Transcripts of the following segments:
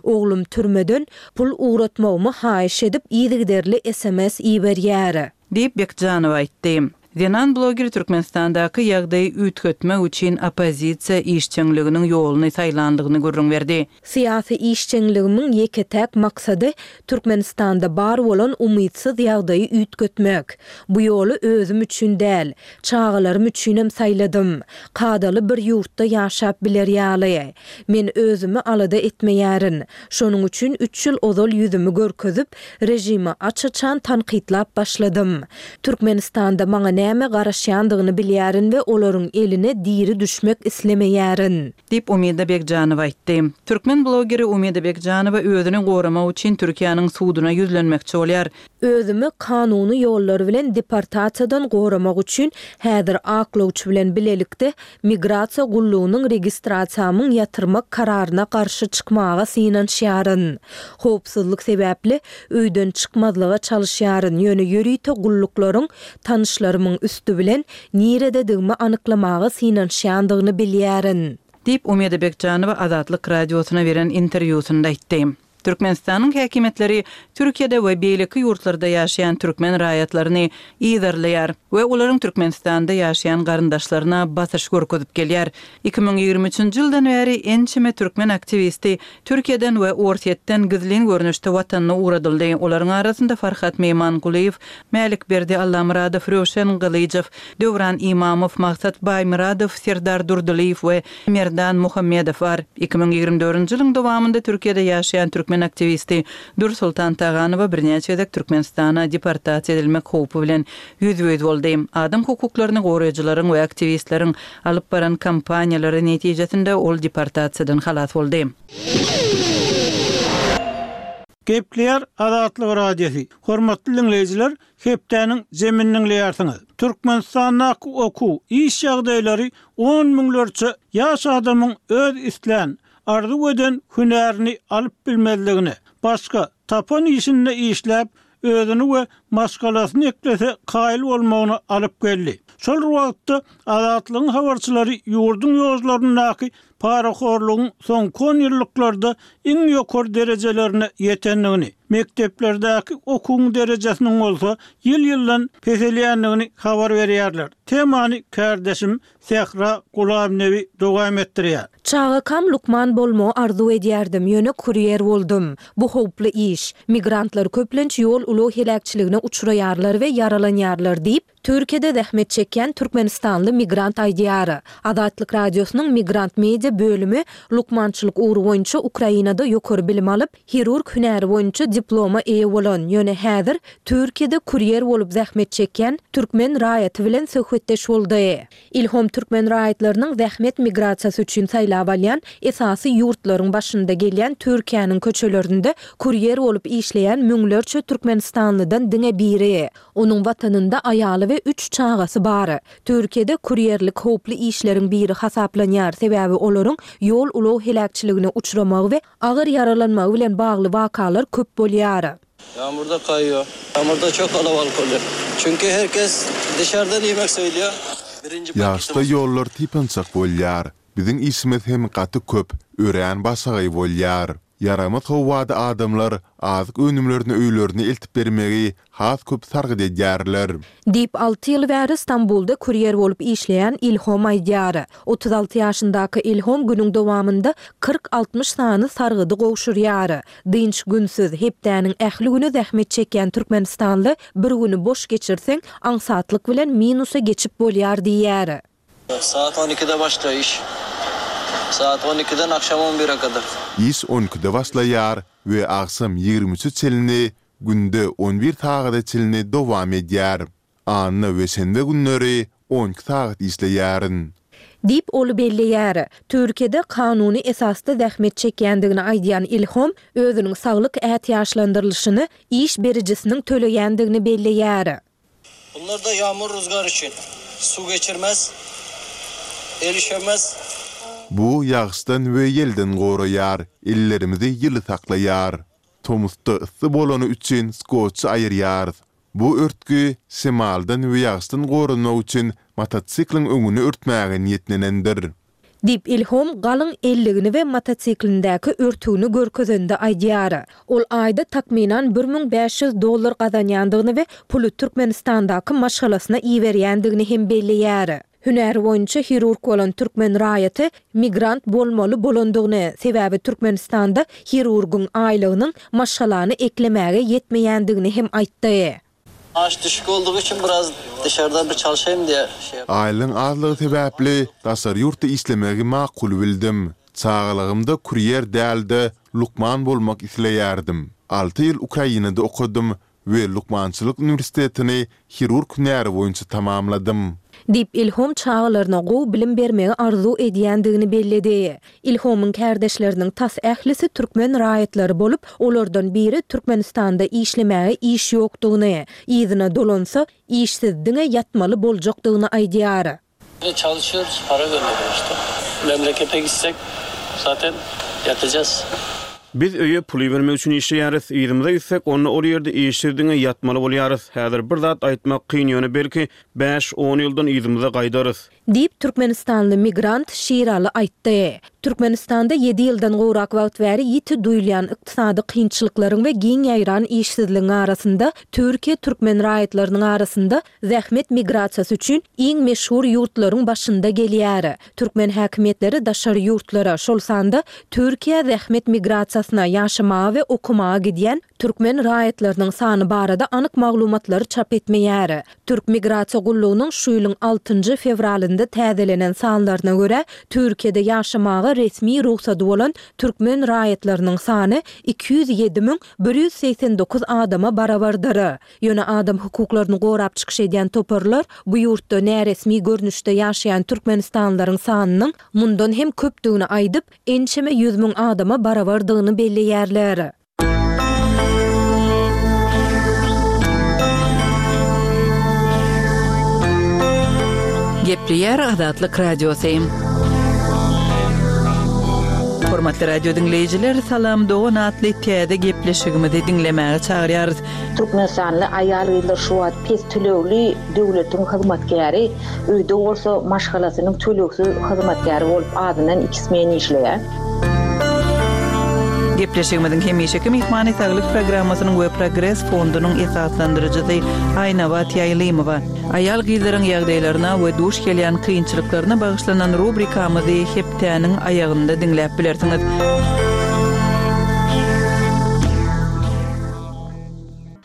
Oglum türmeden pul ugratmagymy haýyş edip yzygiderli sms iberýär. Diýip, Bekjanowa aýtdy. Zenan bloger Türkmenistandaky ýagdaýy üýtgetmek üçin oppozisiýa işjeňliginiň ýoluny saýlandygyny gürrüň berdi. Syýasy işjeňligimiň ýeke-täk maksady Türkmenistanda bar bolan umytsyz ýagdaýy üýtgetmek. Bu ýoly özüm üçin däl, çagalarym üçinem saýladym. Kadaly bir ýurtda ýaşap biler ýaly. Men özümi alada etmeýärin. Şonuň üçin üç ýyl ozal ýüzümi görkezip, režimi aç-açan tankytlap başladym. Türkmenistanda maňa näme garaşýandygyny bilýärin we olaryň eline diri düşmek islemeýärin. Diýip, Umida Begjanowa aýtdy. Türkmen blogeri Umida Begjanowa özüni goramak üçin Türkiýäniň suduna ýüzlenmekçi bolýar. Özümi kanuny ýollar bilen deportasiýadan goramak üçin häzir aklawçy bilen bilelikde Migrasiýa gullugynyň registrasiýamyň ýatyrmak kararyna garşy çykmaga synanyşýaryn. Howpsuzlyk sebäpli öýden çykmazlyga çalyşýaryn, ýöne ýörite gulluklaryň tanyşlarymyň üsti bilen nirededigimi anyklamaga synanyşýandygyny bilýärin. Diýip, Umida Begjanowa Azatlyk Radiosyna beren interwýusynda aýtdy. Türkmenistanyň häkimiýetleri Türkiýede we beýleki ýurtlarda ýaşaýan türkmen raýatlaryny yzarlaýar we olaryň Türkmenistanda ýaşaýan garyndaşlaryna basyş görkezip gelýär. 2023-nji ýyldan bäri ençeme türkmen aktiwisti Türkiýeden we Orsýetden gizlin görnüşde watanyna ugradyldy. Olaryň arasynda Farhat Meýmangulyýew, Mälikberdi Allamyradow, Röwşen Gylyjow, Döwran Imamow, Maksat Baýmyradow, Serdar Durdylyýew we Merdan Muhammedow bar. 2024-nji ýylyň dowamynda Türkiýede ýaşaýan türkmen aktiwisti Dürsoltan Taganowa birnäçe gezek Türkmenistana deportasiýa edilmek howpy bilen ýüzbe-ýüz boldy. Adam hukuklaryny goraýjylaryň we aktiwistleriň alyp baran kampaniýalary netijesinde ol deportasiýadan halas boldy. Gepleýär Azatlyk Radiosy. Hormatly diňleýjiler, hepdäniň jemini diňleýärsiňiz. Türkmenistandaky okuw, iş ýagdaýlary on müňlerçe ýaş adamyň öz islän, arzuw eden hünärini alyp bilmezligine, başga, tapan işinde işläp, özüni we maşgalasyny eklese kaýyl bolmagyna alyp geldi. Şol bir wagtda, Azatlygyň habarçylary ýurduň ýollaryndaky parahorlugyň soňky onýyllyklarda iň ýokary derejelerine ýetendigini, mekdeplerdäki okuwyň derejesiniň bolsa ýyl-ýyldan peselýändigini habar berýärler. Temany kärdeşim Sähra Gulamnebi dowam etdirýär. Çagakam lukman bolmagy arzuw edýärdim, ýöne kurýer boldum. Bu howply iş. Migrantlar köplenç ýol-ulag heläkçiligine uçraýarlar we ýaralanýarlar diýip, Türkiýede zähmet çekýän türkmenistanly migrant aýdýar. Azatlyk Radiosynyň Migrant Media bölümi lukmançylyk ugry boýunça Ukrainada ýokary bilim alyp, hirurg hünäri boýunça diploma eýe bolan, ýöne häzir Türkiýede kurýer bolup zähmet çekýän türkmen raýaty bilen söhbetdeş boldy. Ilhom türkmen raýatlarynyň zähmet migrasiýasy üçin saýlap alýan esasy ýurtlaryň başynda gelýän Türkiýäniň köçelerinde kurýer bolup işleýän müňlerçe türkmenistanlydan diňe biri. Onuň watanynda aýaly we üç çagasy bar. Türkiýede kurýerlik howply işleriň biri hasaplanýar, sebäbi olaryň ýol-ulag heläkçiligine uçramagy we agyr ýaralanmagy bilen bagly wakalar köp bolýar. Ýagmurda kaýýo. Ýagmurda çok kalabalyk bolýar. Çünki her kes dışardan ýemek söýlýär. Birinji Ýagyşda paketimiz. ýollar typançak bolýar. Biziň işimiz hem gaty köp, örän başagaý bolýar. Ýaramaz howada adamlar azyk önümlerini öýlerine eltip bermegi has köp sargyt edýärler. Diýip, alty ýyl bäri Stambulda kurýer bolup işleýän Ilhom aýdýar. 36 ýaşyndaky Ilhom günüň dowamynda kyrk-altmyş sany sargydy gowşurýar. Dynç günsüz, hepdäniň ähli güni zähmet çekýän türkmenistanly bir güni boş geçirseň, aňsatlyk bilen minusa geçip bolýar diýýär. Saat on ikide başlaýar iş. Saat on ikiden akşam on bire kadar. Iş on ikide başlaýar we agşam ýigrimi üçe çenli, günde on bir sagada çenli dowam edýär. Anna we şenbe günleri on iki sagat işleýärin. Diýip, ol belleýär. Türkiýede kanuny esasda zähmet çekýändigini aýdýan Ilhom özüniň saglyk ätiýaçlandyrylyşyny iş berijisiniň töleýändigini belleýär. Bunlar da ýagmur ruzgar üçin. Suw geçirmez, el üşemez. Bu ýagyşdan we ýelden goraýar, ellerimizi ýyly saklaýar. Tomusda yssy bolany üçin skotçy aýyrýarys. Bu örtgi şemaldan we ýagyşdan goranmak üçin motosikliň öňüni örtmäge niýetlenendir. Diýip, Ilhom galyň elligini we motosiklindäki örtügini görkezende aýdýar. Ol aýda takmynan 1500 dollar gazanýandygyny we puly Türkmenistandaky maşgalasyna iberýändigini hem belleýär. Hünäri boýunça hirurg bolan türkmen raýaty migrant bolmaly bolandygyny, sebäbi Türkmenistanda hirurgyň aýlygynyň maşgalany eklemäge ýetmeýändigini hem aýtdy. Maaş düşük olduğu için biraz dışarıda bir çalışayım diye şey. Aýlygyň azlygy sebäpli daşary ýurtda işlemegi makul bildim. Çagalygymda kurýer däl-de, lukman bolmak isleýärdim. Alty ýyl Ukrainada okadym we lukmançylyk uniwersitetini hirurg hünäri boýunça tamamladym. Diýip, Ilhom çagalaryna gowy bilim bermegi arzuw edýändigini belledi. Ilhomyň kärdeşleriniň tas ählisi türkmen raýatlary bolup, olardan biri Türkmenistanda işlemäge iş ýokdugyny, yzyna dolansa, işsiz diňe ýatmaly boljakdygyny aýdýar. Çalışýoruz, para gönderiyoruz da. Memlekete gitsek, zaten ýatacaz. Biz öýe pul ibermek üçin işleýäris. Yzymyza gitsek, onda ol ýerde işsiz diňe ýatmaly bolýarys. Häzir bir zat aýtmak kyn, ýöne belki, bäş-on ýyldan yzymyza gaýdarys. Diýip, türkmenistanly migrant Şiraly aýtdy. Türkmenistanda ýedi ýyldan gowrak wagt bäri ýiti duýulýan ykdysady kynçylyklaryň we giň ýaýran işsizligiň arasynda, Türkiýe türkmen raýatlarynyň arasynda zähmet migrasiýasy üçin iň meşhur ýurtlaryň başynda gelýär. Türkmen häkimiýetleri daşary ýurtlara, şol sanda Türkiýä zähmet migrasiýasyna, ýaşamaga we okamaga gidýän Türkmen raýatlarynyň sany barada anyk maglumatlary çap etmeýär. Türk migrasiýa gullugynyň şu ýylyň altynjy fewralynda täzelenen sanlaryna görä, Türkiýede ýaşamaga resmi rugsady bolan türkmen raýatlarynyň sany 207 189 adama barabardyr. Ýöne adam hukuklaryny gorap çykyş edýän toparlar bu ýurtda näresmi görnüşde ýaşaýan türkmenistanlylaryň sanynyň mundan hem köpdügini aýdyp, ençeme 100 müň adama barabardygyny belleýärler. Gepleýär Azatlyk Radiosy. Hormatly radio diňleýjiler, Salam dogan atly täze gepleşigimizi diňlemäge çagyrýarys. Türkmenistanly aýal-gyzlar şu wagt pes tölegli döwletiň hyzmatkäri, öýde bolsa maşgalasynyň tölegsiz hyzmatkäri bolup azyndan iki smen işleýär. Gepleşigimiziň hemişeki myhmany Saglyk programmasynyň we Progres fondunyň esaslandyryjysy Aýnabat Ýaýlymowa. Aýal-gyzlaryň ýagdaýlaryna we duş gelýän kynçylyklaryna bagyşlanan rubrikamyzy hepdäniň aýagynda diňläp bilersiňiz.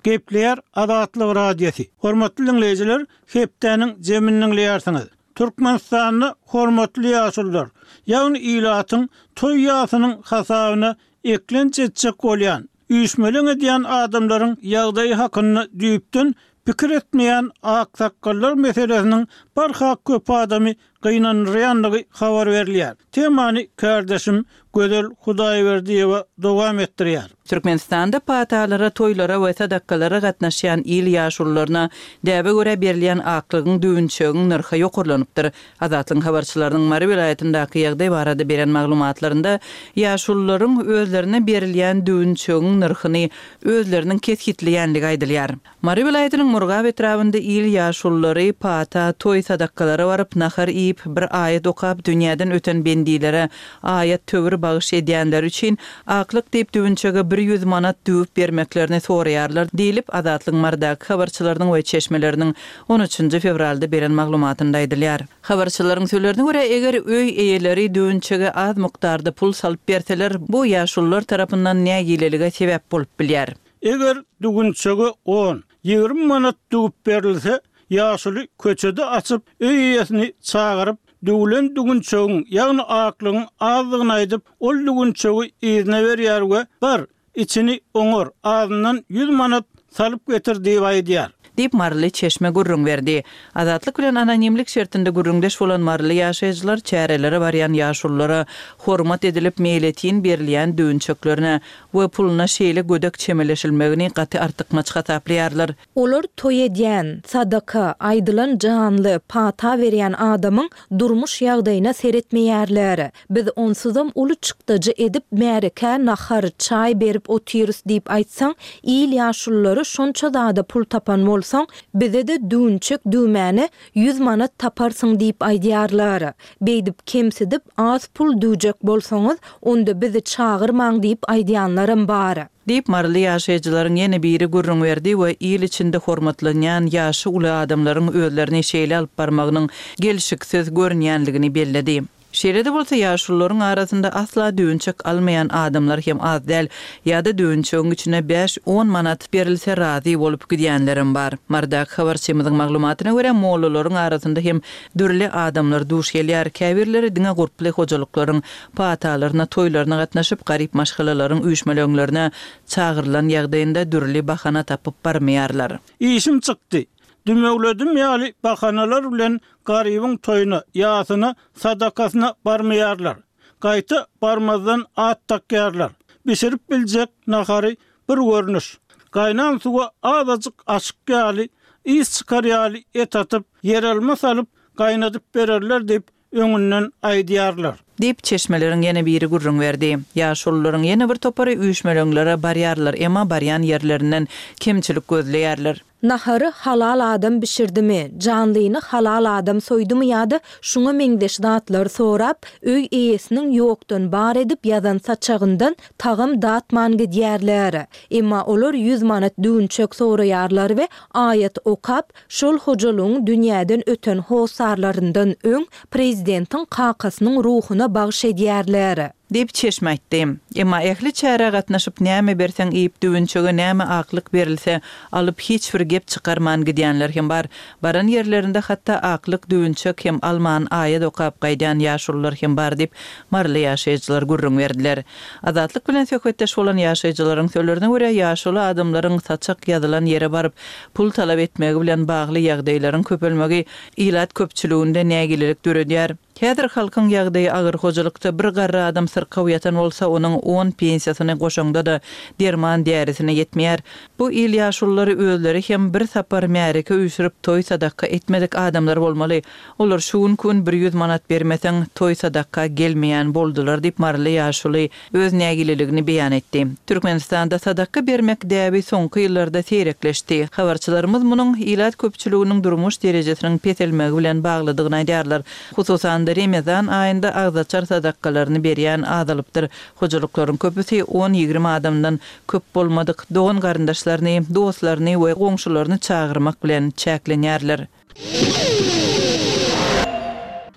Gepleýär Azatlyk Radiosy. Hormatly diňleýjiler, hepdäniň jemini diňleýärsiňiz. Türkmenistanda hormatly ýaşulular, ýagny ilatyň toý-ýasynyň hasabyna eklenç etjek bolýan, üýşmeleň edýän adamlaryň ýagdaýy hakynda düýpden pikir etmeýän aksakgallar meselesiniň barha köp adamy gynandyrýandygy habar berilýär. Temany kärdeşim Gözel Hudaýberdiýewa dowam etdirýär. Türkmenistanda patalara, toýlara we sadakalara gatnaşýan il ýaşulularyna däbe görä berilýän aklygyň, düwünçegiň nyrhy ýokarlanypdyr. Azatlygyň habarçylarynyň Mary welaýatyndaky ýagdaý barada beren maglumatlarynda ýaşulularyň özlerine berilýän düwünçegiň nyrhyny özleriniň kesgitleýänligi aýdylýar. Mary welaýatynyň Murgap etrabynda il ýaşululary pata, toý sadakalara baryp, nahar iýip, bir aýat okap, dünýäden öten bendilere aýat-töwir bagyş edýänleri üçin aklyk diýip düwünçege bir ýüz manat düwüp bermeklerini soraýarlar diýlip, Azatlygyň Marydaky habarçylarynyň we çeşmeleriniň on üçünji fewralda beren maglumatynda aýdylýar. Habarçylaryň sözlerine görä, eger öý eýeleri düwünçege az mukdarda pul salyp berseler, bu ýaşulular tarapyndan nägilelige sebäp bolup bilýär. Eger düwünçege on, 20 manat düwüp berilse, ýaşuly köçede açyp, öý eýesini çagyryp, düwlen düwünçegiň, ýagny aklygyň azdygyny aýdyp, ol düwünçegi yzyna berýär we Bar, içini oňar, azyndan ýüz manat salyp getir diýip aýdýar. Diýip, maryly çeşme gürrüň berdi. Azatlyk bilen anonimlik şertinde gürrüňdeş bolan maryly ýaşaýjylar çärelere barýan ýaşululara hormat edilip meýletin berilýän düwünçeklerine we puluna şeýle gödek çemeleşilmegini gaty artykmaç hasaplaýarlar. Olar toý edýän, sadaka, aýdylan janly, pata berýän adamyň durmuş ýagdaýyna seretmeýärler. Biz onsuzam uly çykdajy edip märekä nahar, çaý berip otyrys diýip aýtsaň, il ýaşululary şonça zada pul tapan bolsa. bolsaň, bize-de düwünçek düwmäne 100 manat taparsyň diýip aýdýarlar. Beýdip kemsidip, az pul düwjek bolsaňyz, onda bizi çagyrmaň diýip aýdýanlaram bar. Diýip, maryly ýaşaýjylaryň ýene biri gürrüň berdi we il içinde hormatlanýan ýaşy uly adamlaryň özlerini şeýle alyp barmagynyň gelşiksiz görünýänligini belledi. Şeýle-de bolsa, ýaşulularyň arasynda asla düwünçek almaýan adamlar hem az däl, ýa-da düwünçegiň içine bäş-on manat berilse razy bolup gidýänlerem bar. Marydaky habarçymyzyň maglumatyna görä, mollalaryň arasynda hem dürli adamlar duş gelýär, käbirleri diňe gurply hojalyklaryň patalaryna, toýlaryna gatnaşyp, garyp maşgalalaryň üýşmeleňlerine çagyrylan ýagdaýynda dürli bahana tapyp barmaýarlar. Işim çykdy, dümewledim ýaly bahanalar bilen garybyň toýuna, ýasyna, sadakasyna barmaýarlar. Gaýta barmazdan at dakýarlar. Bişirip biljek nahary bir görnüş. Gaýnan suwa azajyk aşyk ýaly, ys çykar ýaly et atyp, ýeralma salyp gaýnadyp bererler diýip, öňünden aýdýarlar. Diýip, çeşmeleriň ýene biri gürrüň berdi. Ýaşulularyň ýene bir topary üýşmeleňlere barýarlar, emma barýan ýerlerinden kemçilik gözleýärler. Nahary halal adam bişirdimi, janlyny halal adam soýdumy ýa-da şuňa meňzeş zatlary sorap, öý eýesiniň ýokdan bar edip ýazan saçagyndan tagam datman gidýärler. Emma olar ýüz manat düwünçek soraýarlar we aýat okap, Şol hojalygyň dünýäden öten hossarlaryndan öň prezidentiň kakasynyň ruhuna bagyş edýärler. Diýip, çeşme aýtdy. Emma ähli çärä gatnaşyp, näme berseň iýip, düwünçege näme aklyk berilse, alyp, hiç bir gep çykarman gidýänler hem bar. Baran ýerlerinde hatda aklyk, düwünçek hem alman, aýat okap gaýdýan ýaşulular hem bar diýip, maryly ýaşaýjylar gürrüň berdiler. Azatlyk bilen söhbetdeş bolan ýaşaýjylaryň sözlerine görä, ýaşuly adamlaryň saçak ýazylan ýere baryp, pul talap etmegi bilen bagly ýagdaýlaryň köpelmegi ilat köpçüliginde nägilelik döredýär. Häzir halkyň ýagdaýy agyr, hojalykda bir garry adam syrkaw ýatan bolsa, onuň on pensiýasyny goşaňda-da derman-därisine ýetmeýär. Bu il ýaşululary özleri hem bir sapar märeke üýşürip toý-sadakga etmedik adamlar bolmaly. Olar şu günki gün bir ýüz manat bermeseň, toý-sadakga gelmeýän boldular diýip, maryly ýaşuly öz nägileligini beýan etdi. Türkmenistanda sadakga bermek däbi soňky ýyllarda seýrekleşdi. Habarçylarymyz munuň ilat köpçüliginiň durmuş derejesiniň peselmegi bilen baglydygyny aýdýarlar. Hususan-da, Remezan aýynda agzaçar sadakgalaryny berýän azalypdyr. Hojalyklaryň köpüsi on-ýigrimi adamdan köp bolmadyk dogan-garyndaşlaryny, dostlaryny we goňşularyny çagyrmak bilen çäklenýärler.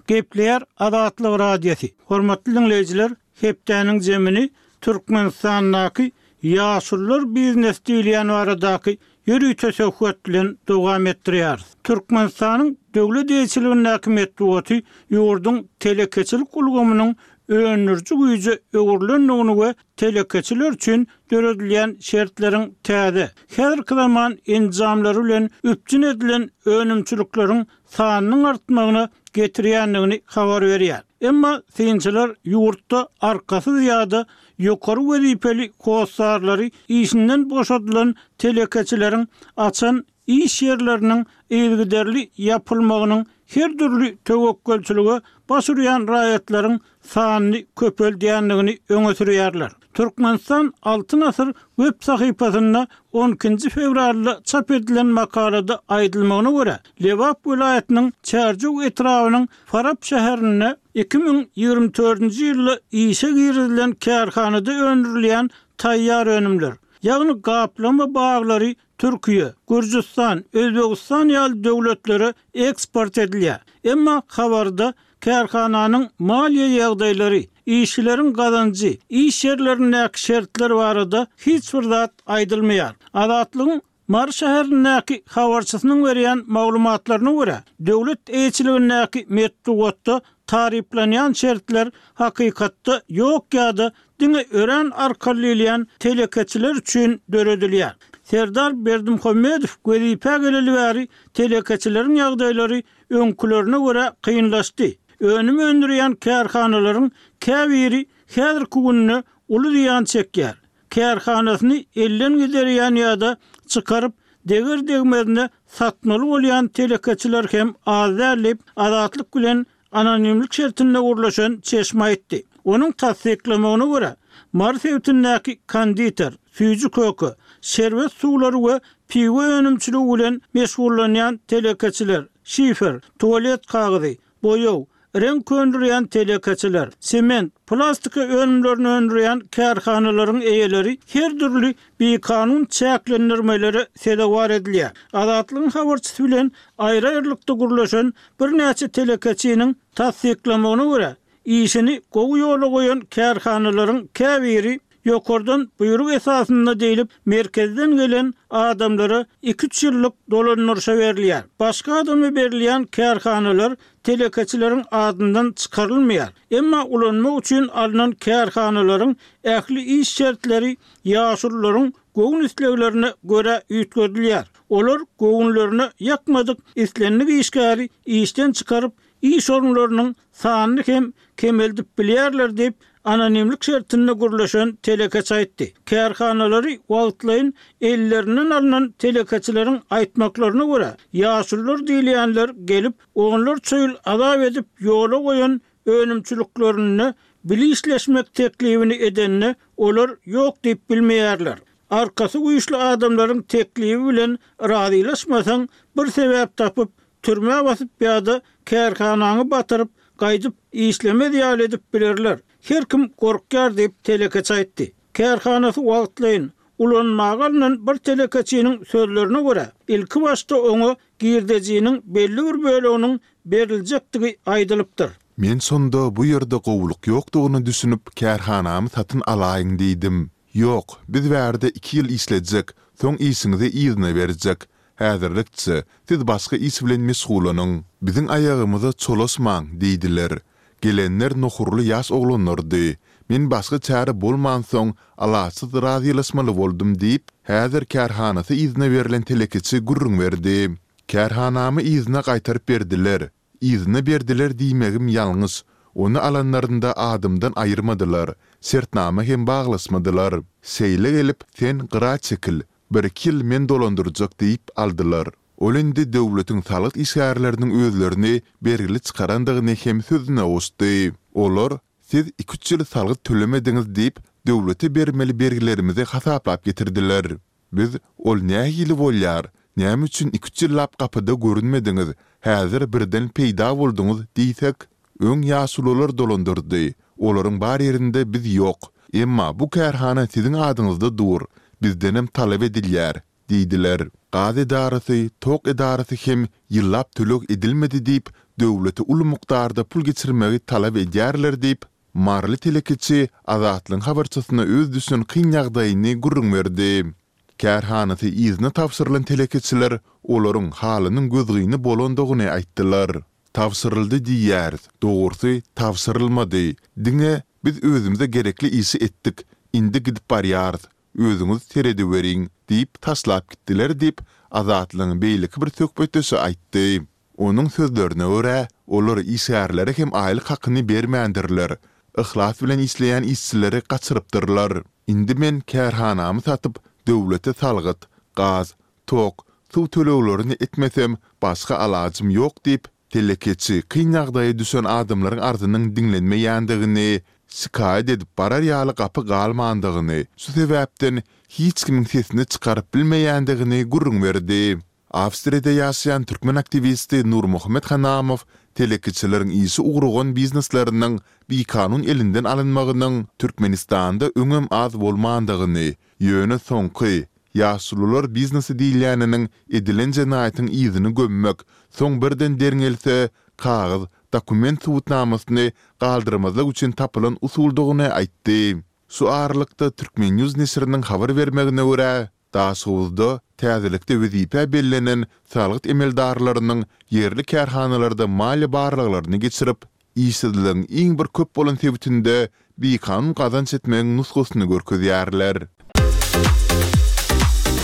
Gepleýär Azatlyk Radiosy. Hormatly diňleýjiler, hepdäniň jemini Türkmenistandaky ýaşulular biznesi diýilýän baradaky ýörite söhbet bilen dowam etdirýäris. Türkmenistanyň döwlet eýeçiligindäki metbugaty ýurduň telekeçilik ulgamynyň öndüriji güýje öwrülendigini we telekeçiler üçin döredilýän şertleriň täze, häzirki zaman enjamlary bilen üpjün edilen önümçilikleriň sanynyň artmagyna getirýändigini habar berýär. Emma synçylar ýurtda arkasyz ýa-da ýokary wezipeli hossarlary işinden boşadylan telekeçileriň açan iş ýerleriniň yzygiderli ýapylmagynyň her dürli töwekgelçilige baş urýan raýatlaryň sanyny köpeldýändigini öňe sürýärler. Türkmenistan Altyn asyr web sahypasynda on ikinji fewralda çap edilen makalada aýdylmagyna görä, Lebap welaýatynyň Çärjew etrabynyň Farap şäherinde 2024-nji ýylda işe girizilen kärhanada öndürilýän taýýar önümler, ýagny gaplama baglary Türkiýe, Gürjüstan, Özbegistan ýaly döwletlere eksport edilýär. Emma habarda kärhananyň maliýe ýagdaýlary, işçileriň gazanjy, iş ýerlerindäki şertler barada hiç bir zat aýdylmaýar. Azatlygyň Mary şäherindäki habarçysynyň berýän maglumatlaryna görä, döwlet eýeçiligindäki metbugatda taryplanýan şertler hakykatda ýok ýa-da diňe örän arkaly diýilýän telekeçiler üçin döredilýär. Serdar Berdimuhamedow wezipä geleli bäri telekeçileriň ýagdaýlary öňkülerine görä kynlaşdy. Önüm öndürýän kärhanalaryň käbiri häzirki günde uly zyýan çekýär. Kärhanasyny elden giderýän ýa-da çykaryp, deger-degmezine satmaly bolýan telekeçiler hem az däl diýip, Azatlyk bilen anonimlik şertinde gürleşen çeşme aýtdy. Onuň tassyklamagyna görä, Mary sebitindäki konditer, süýji-köke, şerbet suwlary we Piwo önümçiligi bilen meşgullanýan telekeçiler, şifer, tualet kagyzy, boýag, reňk öndürýän telekeçiler, sement, plastika önümlerini öndürýän kärhanalaryň eýeleri her dürli bikanun çäklendirmelere sezewar edilýär. Azatlygyň habarçysy bilen aýry-aýrylykda gürleşen birnäçe telekeçiniň tassyklamagyna görä, Işini gowy ýola goýan kärhanalaryň käbiri ýokardan buýruk esasynda diýlip, merkezden gelen adamlara iki-üç ýyllyk dolandyryşa berilýär. Başga adama berilýän kärhanalar telekeçileriň adyndan çykarylmaýar. Emma ulanmak üçin alnan kärhanalaryň ähli iş şertleri ýaşulularyň göwün isleglerine görä üýtgedilýär. Olar göwünlerine ýakmadyk islendik işgäri işden çykaryp, iş orunlarynyň sanyny hem kemeldip bilýärler diýip, anonimlik şertinde gürleşen telekeçi aýtdy. Kärhanalary wagtlaýyn ellerinden alnan telekeçileriň aýtmaklaryna görä, ýaşulular diýilýänler gelip, onlarça ýyl azap edip ýola goýan önümçiliklerinde bile işleşmek teklibini edende, olar ýok diýip bilmeýärler. Arkasy güýçli adamlaryň teklibi bilen razylaşmasaň, bir sebäp tapyp, Türmä basyp ýa-da kärhanaňy batyryp, gaýdyp işlemez ýaly edip bilerler. Her kim gorkýar diýip, telekeçi aýtdy. Kärhanasy wagtlaýyn ulanmaga alnan bir telekeçiniň sözlerine görä, ilkibaşda oňa girdejiniň belli bir böleginiň beriljekdigi aýdylypdyr. Men şonda bu ýerde gowulyk ýokdugyna düşünip, kärhanamy satyn alaýyň diýdim. Ýok, biz bärde iki ýyl işlejek, soň işiňizi yzyna berjek. Häzirlikçe, siz başga iş bilen meşgullanyň. Biziň aýagymyza çolaşmaň, diýdiler. Gelenler nohurly ýaş oglanlardy. Men başga çäre bolmansoň, alaçsyz razylaşmaly boldum diýip, häzir kärhanasy yzyna berlen telekeçi gürrüň berdi. Kärhanamy yzyna gaýtaryp berdiler. Yzyna berdiler diýmegim ýalňyş. Ony alanlarynda adymdan aýyrmadylar, şertnama hem baglaşmadylar. Şeýle gelip, sen gyra çekil, Birki ýyl men dolandyrjak diýip aldylar. Ol indi döwletiň salgyt işgärleriniň özlerini bergili çykarandygyny hem sözüne goşdy. Olar, Siz iki-üç ýyl salgyt tölemediňiz diýip, döwlete bermeli bergilerimizi hasaplap getirdiler. Biz, Ol nähili bolýar? Näme üçin iki-üç ýyllap gapyda görünmediňiz, häzir birden peýda bolduňyz diýsek, Öň ýaşulular dolandyrdy, olaryň bar ýerinde biz ýok. Emma bu kärhana siziň adyňyzda dur, bizdenem talap edilýär, diýdiler. Gaz edarasy, tok edarasy hem ýyllap töleg edilmedi diýip, döwlete uly mukdarda pul geçirmegi talap edýärler diýip, maryly telekeçi Azatlygyň habarçysyna öz düşen kyn ýagdaýyny gürrüň berdi. Kärhanasy yzyna tabşyrylan telekeçiler olaryň halynyň gözgyny bolandygyny aýtdylar. Tabşyryldy diýýäris, dogrusy, tabşyrylmady. Diňe Biz özümize gerekli işi etdik, indi gidip barýarys, özüňiz seredeweriň diýip taşlap gitdiler diýip, Azatlygyň beýleki bir söhbetdeşi aýtdy. Onuň sözlerine görä, olar işgärlere hem aýlyk hakyny bermändirler, yhlas bilen işleýän işçileri gaçyrypdyrlar. Indi men kärhanamy satyp, döwlete salgyt, gaz, Tok, suw töleglerini etmesem, başga alajym ýok diýip, telekeçi kyn ýagdaýa düşen adamlaryň arzynyň diňlenmeýändigini, şikaýat edip barar ýaly gapy galmandygyny, şu sebäpden hiç kimiň sesini çykaryp bilmeýändigini gürrüň berdi. Awstriýada ýaşaýan türkmen aktiwisti Nurmuhammet Hanamow telekeçileriň işi ugrugan biznesleriniň bikanun elinden alynmagynyň Türkmenistanda öňem az bolmandygyny, ýöne soňky Ýaşulular biznesi diýilýäniniň edilen jenaýatyň yzyny gömmek, soň birden derňelse, kagyz, dokument subutnamasyny galdyrmazlyk üçin tapylan usuldygyny aýtdy. Şu aralykda, Turkmennews neşiriniň habar bermegine görä, Daşoguzda täzelikde wezipä bellenen salgyt emeldarlarynyň ýerli kärhanalarda maliýe barlaglaryny geçirip, işsizligiň iň bir köp bolan sebitinde bikanun gazanç etmegiň nusgasyny görkezýärler.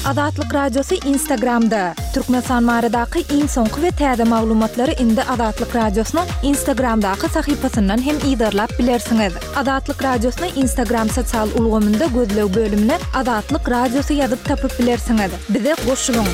Azatlyk Radiosy Instagramda, Türkmenistan baradaky iň soňky we täze maglumatlary indi Azatlyk Radiosynyň Instagramdaky sahypasyndan hem yzarlap bilersiňiz. Azatlyk Radiosyny Instagram sosial ulgamynda gözleg bölümine Azatlyk Radiosy ýazyp tapyp bilersiňiz. Bize goşulyň!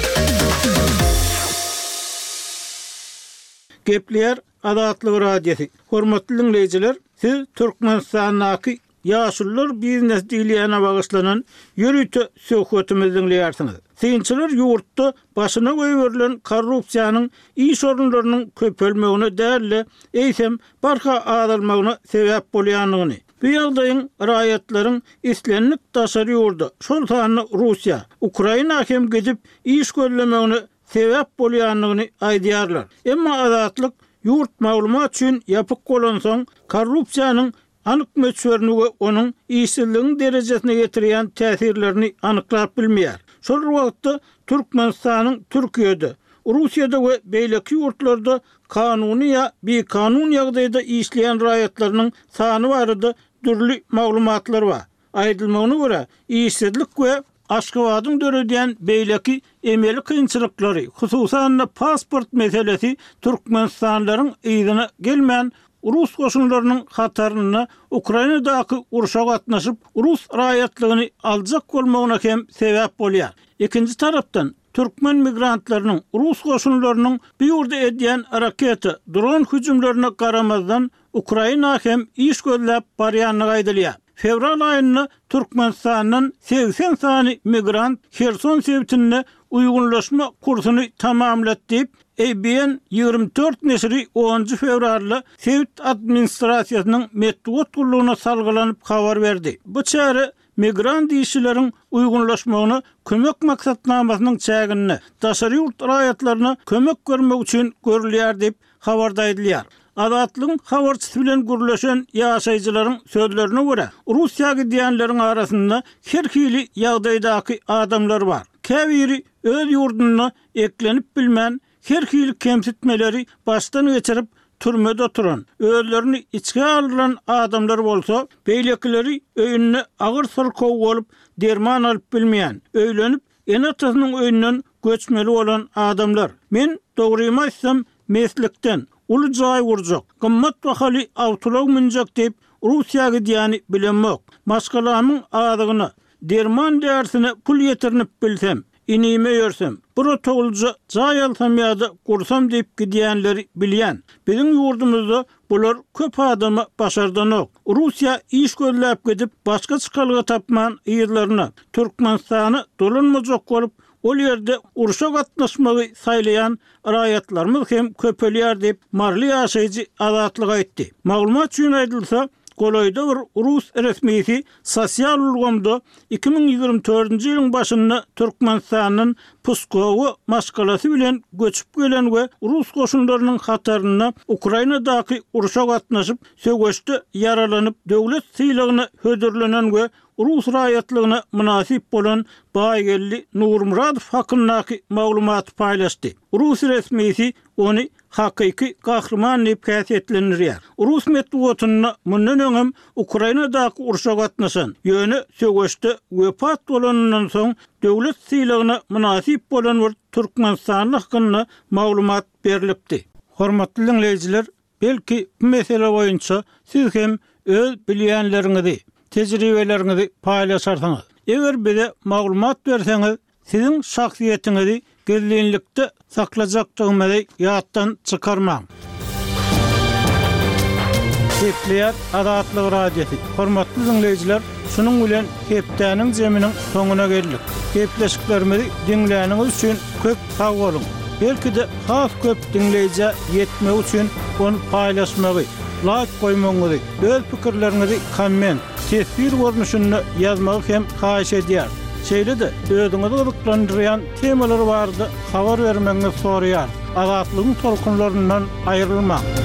Gepleýär Azatlyk Radiosy, Hormatly diňleýjiler, siz Türkmenistandaky Ýaşulular biznesi diýilýäne bagyşlanan ýörite söhbetimizi diňleýärsiňiz. Synçylar ýurtda başyna goýberilen korrupsiýanyň iş orunlarynyň köpelmegine däl-de, eýsem, barha azalmagyna sebäp bolýandygyny, bu ýagdaýyň raýatlaryň islendik daşary ýurda, şol sanda Russiýa, Ukraina hem gidip iş gözlemegine sebäp bolýandygyny aýdýarlar. Emma Azatlyk ýurt maglumat üçin ýapyk bolansoň, korrupsiýanyň anyk möçberini we onuň işsizligiň derejesine ýetirýän täsirlerini anyklap bilmeýär. Şol bir wagtda, Türkmenistanyň Türkiýede, Russiýada we beýleki ýurtlarda kanuny ýa bikanun ýagdaýda işleýän raýatlarynyň sany barada dürli maglumatlar bar. Aýdylmagyna görä, işsizlik we Aşgabadyň döredýän beýleki emeli kynçylyklary, hususan-da pasport meselesi türkmenistanlylaryň yzyna gelmän, rus goşunlarynyň hatarynda Ukrainadaky urşa gatnaşyp, rus raýatlygyny aljak bolmagyna hem sebäp bolýar. Ikinji tarapdan, türkmen migrantlarynyň rus goşunlarynyň bu ýurda edýän raketa, dron hüjümlerine garamazdan, Ukraina hem iş gözläp barýandygy aýdylýar. Fewral aýynda Türkmenistandan 80 sany migrant Herson sebitinde uýgunlaşma kursuny tamamlady diýip, ABN 24 neşiri onunjy fewralda sebit administrasiýasynyň metbugat gullugyna salgylanyp habar berdi. Bu çäre migrant işçileriň uýgunlaşmagyna kömek maksatnamasynyň çäginde daşary ýurt raýatlaryna kömek bermek üçin görülýär diýip, habarda aýdylýar. Azatlygyň habarçysy bilen gürleşen ýaşaýjylaryň sözlerine görä, Russiýa gidýänleriň arasynda her hili ýagdaýdaky adamlar bar. Käbiri öz ýurdunda eklenip bilmän, her hili kemsitmeleri başdan geçirip, türmede oturan, özlerini içgä aldyran adamlar bolsa, beýlekileri öýünde agyr syrkaw bolup, derman alyp bilmeýän, öýlenip, ene-atasynyň öýünden göçmeli bolan adamlar. Men, dogrymy aýtsam, meslikden, uly jaý gurjak, gymmat bahaly awtoulag münjek diýip, Russiýa gidýäni bilemok. Maşgalamyň azygyna, derman-därisine pul ýetirinip bilsem, inime ýörsem, bir otaglyja jaý alsam ýa-da gursam diýip gidýänleri bilýän. Biziň ýurdumyzda bular köp adama başardanok. Russiýa iş gözläp gidip, başga çykalga tapman yzlaryna, Türkmenistana dolanmajak bolup, ol ýerde urşa gatnaşmagy saýlaýan raýatlarymyz hem köpelýär diýip, maryly ýaşaýjy Azatlyga aýtdy. Maglumat üçin aýdylsa, golaýda bir rus resmisi sosial ulgamda 2024-nji ýylyň başynda Türkmenistandan Pskowa maşgalasy bilen göçüp gelen we rus goşunlarynyň hatarynda Ukrainadaky urşa gatnaşyp, söweşde ýaralanyp, döwlet sylagyna hödürlenen we rus raýatlygyna mynasyp bolan Baýgeldi Nurmyradow hakyndaky maglumaty paýlaşdy. Rus resmisi ony hakyky gahryman diýip häsiýetlendirýär. Rus metbugatynda mundan öňem Ukrainadaky urşa gatnaşan, ýöne söweşde wepat bolanyndan soň döwlet sylagyna mynasyp bolan bir türkmenistanly hakynda maglumat berlipdi. Hormatly diňleýjiler, Belki, bu mesele boýunça siz hem öz bilýänleriňizi, tejribeleriňizi paýlaşarsyňyz. Eger bize maglumat berseňiz, siziň şahsyýetiňizi gizlinlikde saklajakdygymyzy ýatdan çykarmaň. Gepleýär Azatlyk Radiosy. Hormatly diňleýjiler, şunuň bilen hepdäniň jeminiň soňuna geldik. Gepleşiklerimizi diňläniňiz üçin köp sag boluň! Belki-de has köp diňleýjä ýetmegi üçin ony paýlaşmagy, laýk goýmagyňyzy, öz pikirleriňizi komment, teswir görnüşinde ýazmagy hem haýyş edýäris. Şeýle-de özüňizi gyzyklandyrýan temalar barada habar bermegiňizi soraýarys. Azatlygyň tolkunlaryndan aýrylmaň!